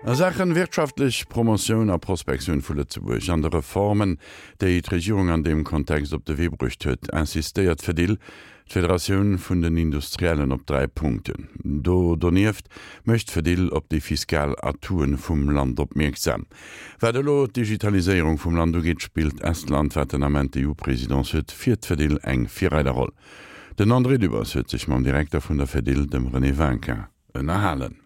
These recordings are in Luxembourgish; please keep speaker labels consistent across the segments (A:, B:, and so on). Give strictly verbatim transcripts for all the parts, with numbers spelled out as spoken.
A: A Saachen wirtschaftlech Promotioun a Prospektioun vu Lëtzebuerg an de Reformen, déi d'Regierung an deem Kontext op de Wee bruecht huet, insistéiert d'Fedil, d'Federatioun vun den Industriellen, op dräi Punkten. Do donieft mécht d'Fedil op déi fiskal Atoute vum Land opmierksam. Wat elo d'Digitaliséierung vum Land ugeet, spillt Estland, wat den Ament d'EU-Presidence huet, fir d'Fedil eng Virreiderroll. Den André Dübbers huet sech mam Direkter vun der Fedil, dem René Winkin, ënnerhalen.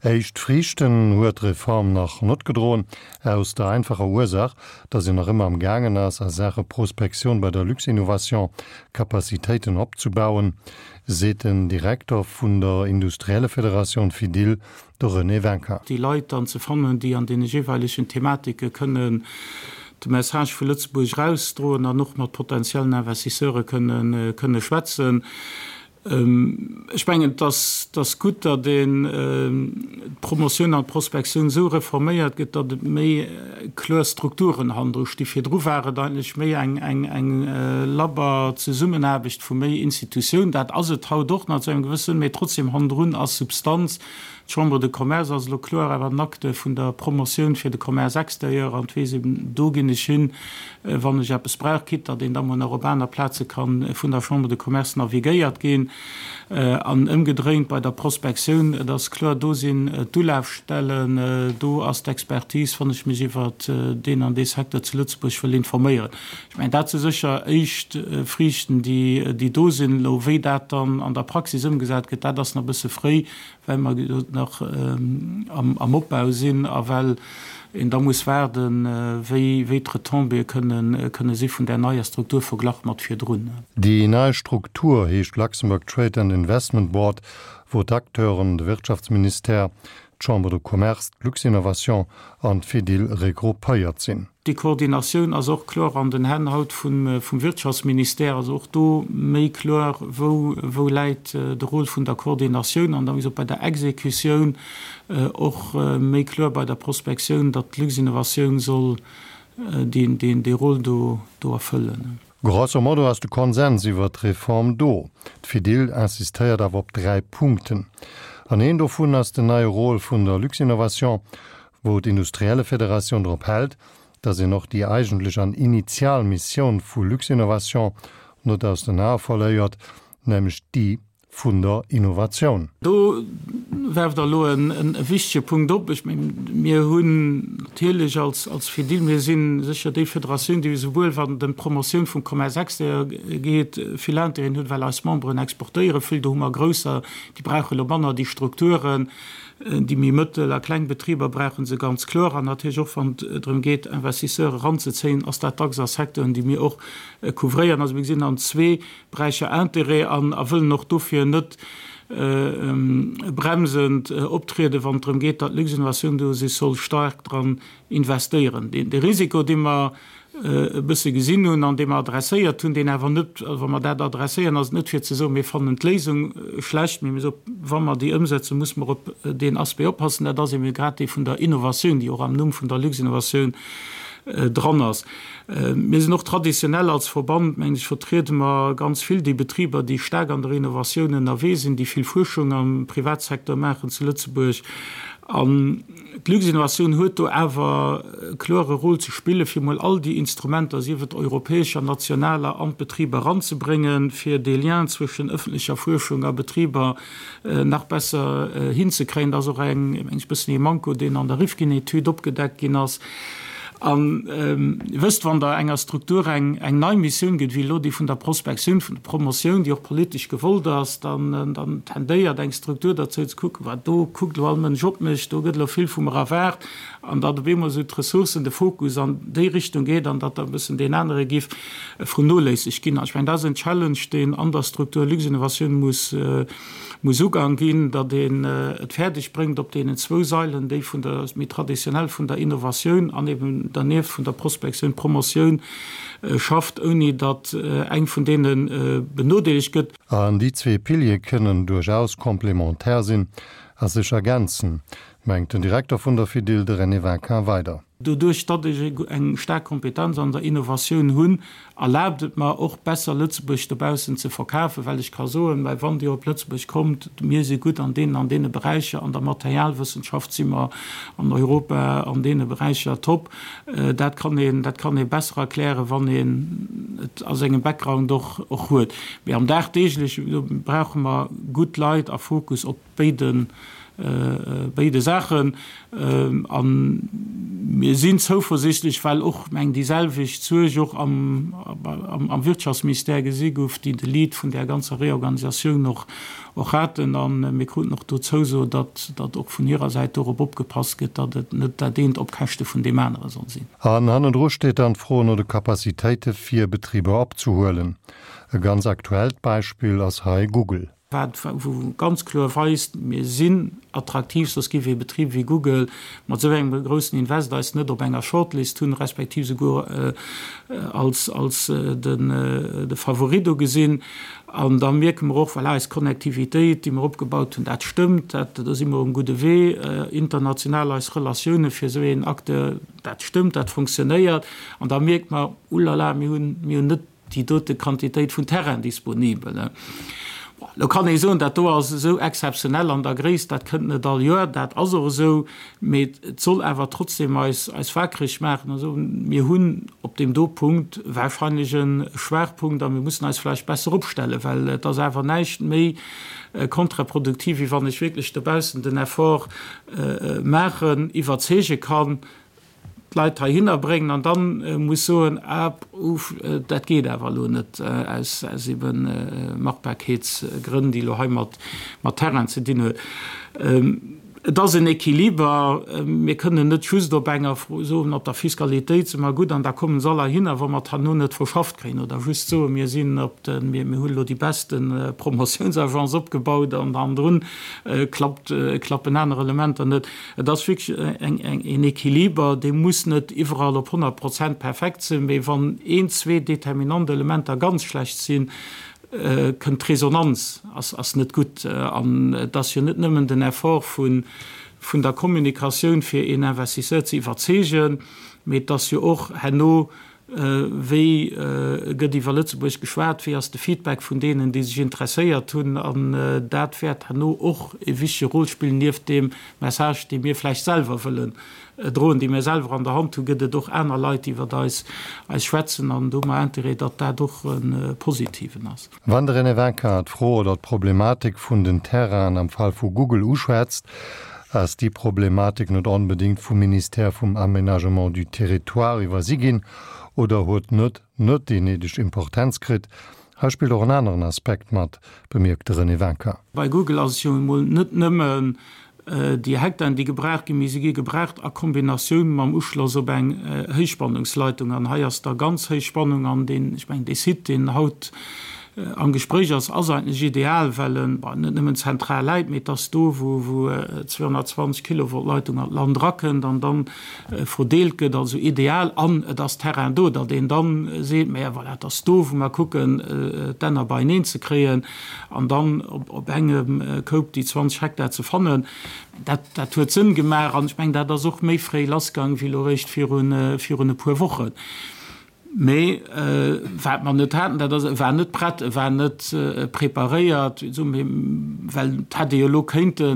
B: Éischt Friichten huet d'Reform nach net gedroen, aus der einfacher Ursaach, datt een nach ëmmer am gaangen ass, a Saache Prospektioun bei der Luxinnovation Capacitéiten opzebauen, seet den Direkter vun der Industriellefederatioun Fedil, de René Winkin.
C: Déi Leit dann ze fannen, déi an deene jeeweilegen Thematike kënnen de Message vu Lëtzebuerg erausdroen an och mat potentiellen Investisseure kënne kënne schwätzen. Ech mengen, et ass gutt, datt een d'Promotioun an d'Prospektioun esou reforméiert gëtt, datt et méi kloer Strukturen hannendru sti. Virdru war et eigentlech méi eng labber Zesummenaarbecht vu méi Institutiounen. Dat ass et haut och nach zu engem gewësse Sënn, mee trotzdem hannendrun ass Substanz. D'Chambre de Commerce ass elo kloer awer en Acteur vun der Promotioun fir de Commerce extérieur an et weess een, do ginn ech hin, wann ech eppes brauch, quitte datt een da mol nach op aner Plaze ka vun der Chambre de Commerce navigéiert ginn. An ëmgedréint bei der Prospektioun, et ass kloer, do sinn d'Ulafstellen, do ass d'Expertise, wann ech mech iwwert deen an dee Secteur zu Lëtzebuerg wëll informéieren. Ech mengen, dat si sécher éischt Friichten, déi do sinn. Elo wéi dat dann an der Praxis ëmgesat gëtt, dat ass nach e bësse fréi, well mer nach am Opbau sinn a well een da muss waarden, wéi d'Retombéeë kënne si vun där neier Struktur verglach mat virdrun.
B: Déi nei Struktur heescht Luxembourg Trade and Investment Board, wou d'Acteuren, de Wirtschaftsministère, d'Chambre de Commerce, d'Luxinnovation an d'Fedil regroupéiert sinn.
C: Déi Koordinatioun ass och kloer an den Hänn haut vum Wirtschaftsministère, also och do méi kloer, wou läit de Rôle vun der Koordinatioun an da wéi gesot bei der Exekutioun och méi kloer bei der Prospektioun, datt d'Luxinnovatioun soll dee Rôle do erfëllen.
B: Grosso modo ass de Konsens iwwert d'Reform do. D'Fedil insistéiert awer op dräi Punkten. An een dovun ass den neie Rôle vun der Luxinnovation, wou d'Industriellefederatioun drop hält, datt een och déi eigentlech an initial Missioun vu Luxinnovation net aus den Ae verléiert, nämlech déi vun der Innovatioun.
C: Do werft Der elo e wichtege Punkt op. Ech mengen, mir hunn natierlech als Fedil, mir si sécher déi Federatioun, déi esouwuel wann et ëm d'Promotioun vum Commerce extérieur geet, vill Intérêten huet, well eis Memberen exportéiere vill. Do hu mer grousser, déi brauche elo manner déi Strukturen. Déi méi mëttel a kleng Betriber brauche se ganz kloer. An natierlech och, wann et drëm geet, Investisseur eranzezéien, ass dat dacks a Secteuren, déi mir och couvréieren. Also mir gesinn an zwee Beräicher Intérêt an a wëllen och dofir net bremsend optrieden, wann et drëm geet, datt d'Luxinnovation do sech soll staark dran investéieren. De Risiko, dee mer e bësse gesinn hunn an dee mer adresséiert hunn, deen awer net, also wa mer dat adresséieren, ass et net fir ze soen, mir fannen d'Léisung schlecht, mee mir soen, wa mer déi ëmsetzen, muss mer op deen Aspect oppassen. Dat ass ebe grad dee vun der Innovatioun, déi och am Numm vun der Luxinnovatioun dran ass. Mir sinn och traditionell als Verband, mengen ech, vertriede mer ganz vill déi Betriber, déi staark an der Innovatioun ënnerwee sinn, déi vill Fuerschung am Privatsecteur maachen zu Lëtzebuerg. An d'Luxinnovation huet do awer e kloere Rôle ze spillen, fir emol all déi Instrumenter, sief et europäescher, nationaler, an d'Betriber eranzebréngen, fir dee Lien zwëschen ëffentlecher Fuerschung a Betriber nach besser hinzekréien. Dat ass och eng, mengen ech, e bëssen ee Manko, deen an der Rifkin-Etüd opgedeckt ginn ass. An Dir wësst, wann Der enger Struktur eng nei Missioun gitt, wéi elo déi vun der Prospektioun, vun der Promotioun, déi och politesch gewollt ass, dann tendéiert eng Struktur derzou ze kucken, Wat, do kuckt elo all Mënsch op mech, do gëtt elo vill vu mer erwaart, an datt op eemol esou d'Ressourcen, de Fokus an déi Richtung geet an datt da e bëssen deen anere giff vernoléissegt ginn. An ech mengen, dat ass en Challenge, deen an der Struktur Luxinnovation muss muss ugaang ginn, datt een et fäerdeg bréngt, op deenen zwou Sailen, déi vun der, méi traditionell vun der Innovatioun an eben dernieft vun der Prospektioun, Promotioun, schafft, ouni datt eng vun deene benodeelegt gëtt.
B: An déi zwee Piliere kënnen duerchaus komplementär sinn a sech ergänzen, Mengt den Direkter vun der Fedil, de René Vinquin, weider.
C: Doduerch, datt ech eng staark Kompetenz an der Innovatioun hunn, erlaabt et mer och besser Lëtzebuerg dobaussen ze verkafen, well ech ka soen, mä wann Dir op Lëtzebuerg kommt, mir si gutt an deenen an deene Beräicher, an der Materialwëssenschaft si mer an Europa an deene Beräicher top. Dat kann een, dat kann ee besser erklären, wann een et a sengem Background och, och huet. Mee am Dagdeegleche brauche mer gutt Leit a Fokus op béide béide Saachen. A mir sinn zouversichtlech, well och, meng déi selwecht Suerg och am am Wirtschaftsministère gesi gouf, déi de Lead vun där ganzer Reorganisatioun och och haten. A mir kruten och do d'Zouso, datt datt och vun hirer Säit dorop opgepasst gëtt, datt et net dat eent op Käschte vun deem anere soll sinn.
B: An hannendru steet dann d'Fro no de Capacitéite fir Betriber opzehuelen. E ganz aktuellt Beispill ass hei Google.
C: Wat wou ganz kloer weist, mir sinn attraktiv, soss géif ee Betrib wéi Google mat esou engem groussen Invest eis net op enger Shortlist hunn, respektiv souguer als als den de Favorit do gesinn. An da mierke mer och, voilà, eis Connectivitéit, déi mer opgebaut hunn, dat stëmmt, dat do si mer um gudde Wee. International eis Relatioune fir esou een Acteur, dat stëmmt, dat fonctionnéiert. An da mierke mer, Ulala, mir hunn mir hunn net déi dote Quantitéit vun Terrain disponibel. Lo kann ee soen, dat do ass esou exzeptionell an der Gréisst, dat kënnt net all Joer. Dat ass och esou, mee et soll awer trotzdem eis eis wakereg maachen a soen, mir hunn op deem do Punkt wahrscheinlech e Schwaachpunkt a mir mussen eis vläicht besser opstellen, well et ass awer näischt méi kontraproduktiv, wéi wann ech wierklech dobaussen den Effort maachen, iwwerzeege kann, d'Leit heihinner bréngen an dann muss soen, ah, uff, dat geet awer elo net aus, aus ebe Machbarkeetsgrënn, déi elo hei mat, mat Terrain ze dinn huet. Et ass en Equiliber. Mir kënnen net just op enger Fro soen, op der Fiskalitéit si mer gutt an da kommen se all heihinner, wa mer et herno net verschafft kréien, oder just soen, mir sinn op de, mir, mir hunn elo déi beste Promotiounsagence opgebaut an hannendrun klappt, klappen aner Elementer net. Et ass wierklech eng, eng, een Equiliber, dee muss net iwwerall op honnert Prozent perfekt sinn, mee wann een, zwee determinant Elementer ganz schlecht sinn, kënnt d'Resonanz, ass, ass net gutt. An et ass jo net nëmmen den Effort vun, vun der Kommunikatioun, fir een Investisseur ze iwwerzeegen, mee et ass jo och herno, Wéi gëtt iwwer Lëtzebuerg geschwat? Wéi ass de Feedback vun deenen, déi sech interesséiert hunn? An dat wäert herno och e wichtege Rôle spillen, nieft deem Message, dee mir vläicht selwer wëllen droen, dee mir selwer an der Hand hunn, gëtt et och aner Leit, déi iwwer eis schwätzen. An do hu mer Interêt, datt dat och e positiven ass.
B: Wann de René Winkin d'Fro oder d'Problematik vun den Terrainen am Fall vu Google uschwätzt, ass déi Problematik net onbedéngt vum Ministère vum Aménagement du Territoire iwwersi ginn oder huet net net déi néideg Importenz kritt. Hei spillt och en aneren Aspekt mat, bemierkt de René Winkin.
C: Bei Google ass et jo emol net nëmmen déi Hektaren, déi gebraucht ginn, mee se gi gebraucht a Kombinatioun mam Uschloss op eng Héichspannungsleitung. An hei ass da ganz héich Spannung an deen, ech mengen, dee Site, deen haut am Gespréich ass, ass eigentlech ideal, well en, bon, net nëmmen zentral läit, mee et ass do, wou wou zweehonnertzwanzeg Kilovolt Leitung an d'Land erakënnt an dann verdeelt gëtt, also ideal. An et ass Terrain do, datt een dann seet, mä voilà, et ass do, wou mer kucken, d'Enner beieneen ze kréien an dann op op engem Koup déi zwanzeg Hektar ze fannen. Dat dat huet Sënn gemaach an ech mengen, dat ass och méi fréi lassgaang wéi elo eréischt virun virun e puer Wochen. Mee wat mer net haten, dat ass, e war net prett, e war net preparéiert, well et hätt ee jo elo kéinte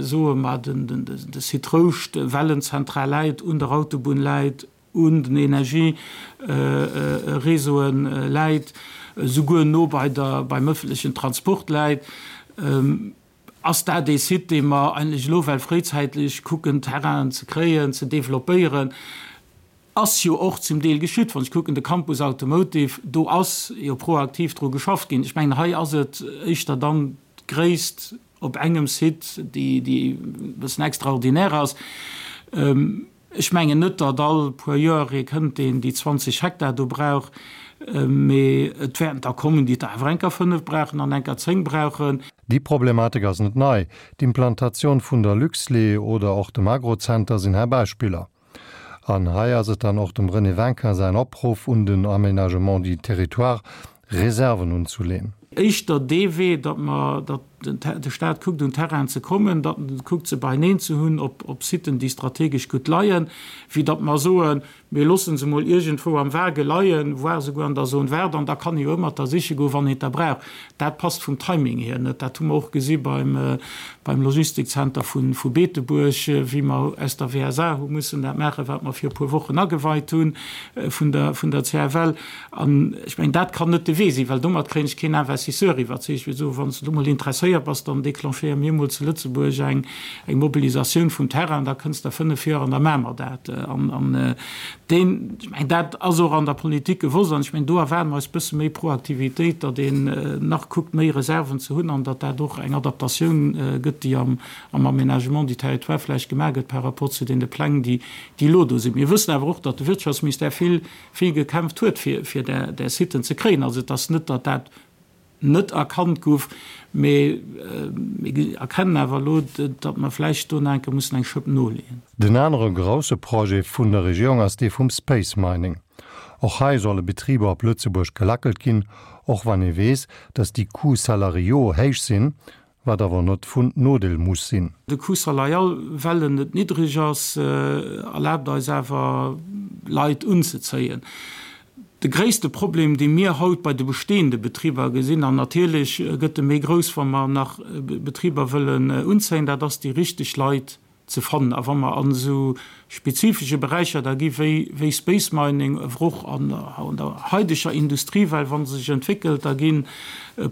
C: soen, ma de Site Rouscht, well en zentral läit, un der Autobunn läit, un den Energiereseaue läit, esouguer no bei der, beim ëffentlechen Transport läit, ass dat ee Site, dee mer eigentlech elo well fréizäitlech kucken, Terrainen ze kréien, ze developpéieren. Ass jo och zum Deel geschitt. Wann ech kucken, de Campus Automotive, do ass jo proaktiv dru geschafft ginn. Ech mengen, hei ass et éischter dann d'Gréisst op engem Site, déi e bëssen extraordinaire ass. Ech mengen net, datt all puer Joer ee kënnt, deen déi zwanzeg Hektar do brauch, mee et wäerten der kommen, déi der awer eng Kéier fënnef brauchen an eng Kéier zéng brauchen.
B: Déi Problematik ass net nei. D'Implantatioun vun der Luxlait oder och dem Agrocenter sinn hei Beispiller. An hei ass et dann och dem René Winkin säin Opruff un den Aménagement du territoire, Reserven unzuleen.
C: Éischter dee Wee, datt mer, datt de Staat kuckt un Terrainen ze kommen, datt en kuckt se beieneen ze hunn op op Siten déi strategesch gutt leien, wéi datt mer soen, mir loosse se mol iergendwou am Vage leien, voire souguer an der Zone verte, an da kann ee jo ëmmer der siche goen, wann een der brauch. Dat passt vum Timing hier net. Dat hu mer och gesi beim beim Logistikzenter vu vu Beetebuerg, wéi mer aus der W S A hu mussen dat maachen, wat mer fir e puer Wochen ageweit hu vun der vun der C F L. An ech mengen, dat kann net de Wee sinn, well domat kréien ech keen Investisseur iwwerzeegt, fir ze soen, wann s de do mol interesséiert bass, dann declenchéiere mir mol zu Lëtzebuerg eng eng Mobilisatioun vum Terrain, da kënns de a fënnef Joer an da maache mer dat. An an deen, ech mengen, dat ass och an der Politik gewosst. An ech mengen, do erwaarde mer eis e bësse méi Proaktivitéit, datt een nach kuckt, méi Reserven ze hunn an datt dat och eng Adaptatioun gëtt, déi am am Aménagement du territoire vläicht gemaach gëtt par rapport zu deene Pläng, déi déi elo do sinn. Mir wëssen awer och, datt de Wirtschaftsministère vill vill gekämpft huet, fir fir där där Siten ze kréien. Also et ass net, datt dat net erkannt gouf, mee mir erkennen awer elo, datt mer vläicht do nach eng Kéier mussen eng Schëpp noleeën.
B: Den anere grousse Projet vun der Regierung ass dee vum Space Mining. Och hei solle Betriber op Lëtzebuerg gelackelt ginn, och wann ee weess, datt déi Coûts salariaux héich sinn, wat awer net vun Nodeel muss sinn.
C: De Coût salarial, well en net niddreg ass, erlaabt eis awer Leit unzezéien. De gréisste Problem, dee mir haut bei de bestehende Betriber gesinn, an natierlech gëtt e méi grouss, wa mer nach Betriber wëllen unzéien, dat ass déi richteg Leit ze fannen. A wa mer an esou spezifesche Beräicher da gi wéi wéi Space Mining, awer och an an der haideger Industrie, well wa se sech entwéckelt, da gi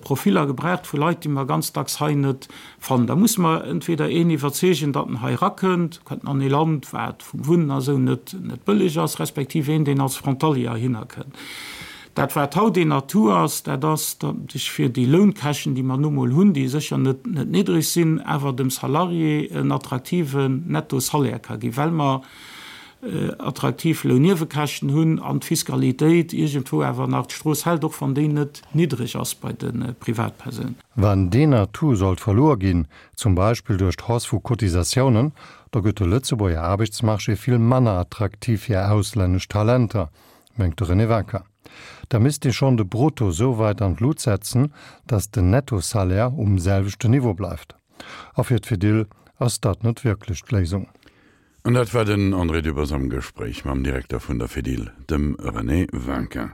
C: Profiller gebraucht vu Leit, déi mer ganz dacks hei net fannen. Da musse mer entweder een iwwerzeegen, datt en hei erakënnt, kënnt an ee Land, wat vum Wunnen a sou net net bëlleg ass, respektiv een, deen als Frontalier heihinner kënnt. Dat wat haut een Atout ass, dat ass, datt ech fir déi Lounkäschten, déi mer nu mol hunn, déi sécher net net niddreg sinn, awer dem Salarié en attraktiven Nettosalaire ka ginn, well mer attraktiv Lounniewekäschten hunn an d'Fiskalitéit iergendwou awer nach d'Strooss hält, och wann déi net niddreg ass bei de Privatpersounen.
B: Wann deen Atout sollt verluer ginn, zum Beispill duerch d'Hausse vu Cotisatiounen, da gëtt de Lëtzebuerger Aarbechtsmarché vill manner attraktiv fir auslännesch Talenter, mengt de René Winkin. Da misst ee schonn de Brutto sou wäit an d'Lut setzen, datt den Nettosalaire um selwechten Niveau bleift. A fir d'Fedil ass dat net wierklech d'Léisung.
A: An dat war den André Dübbers am Gespréich mam Direkter vun der Fedil, dem René Winkin.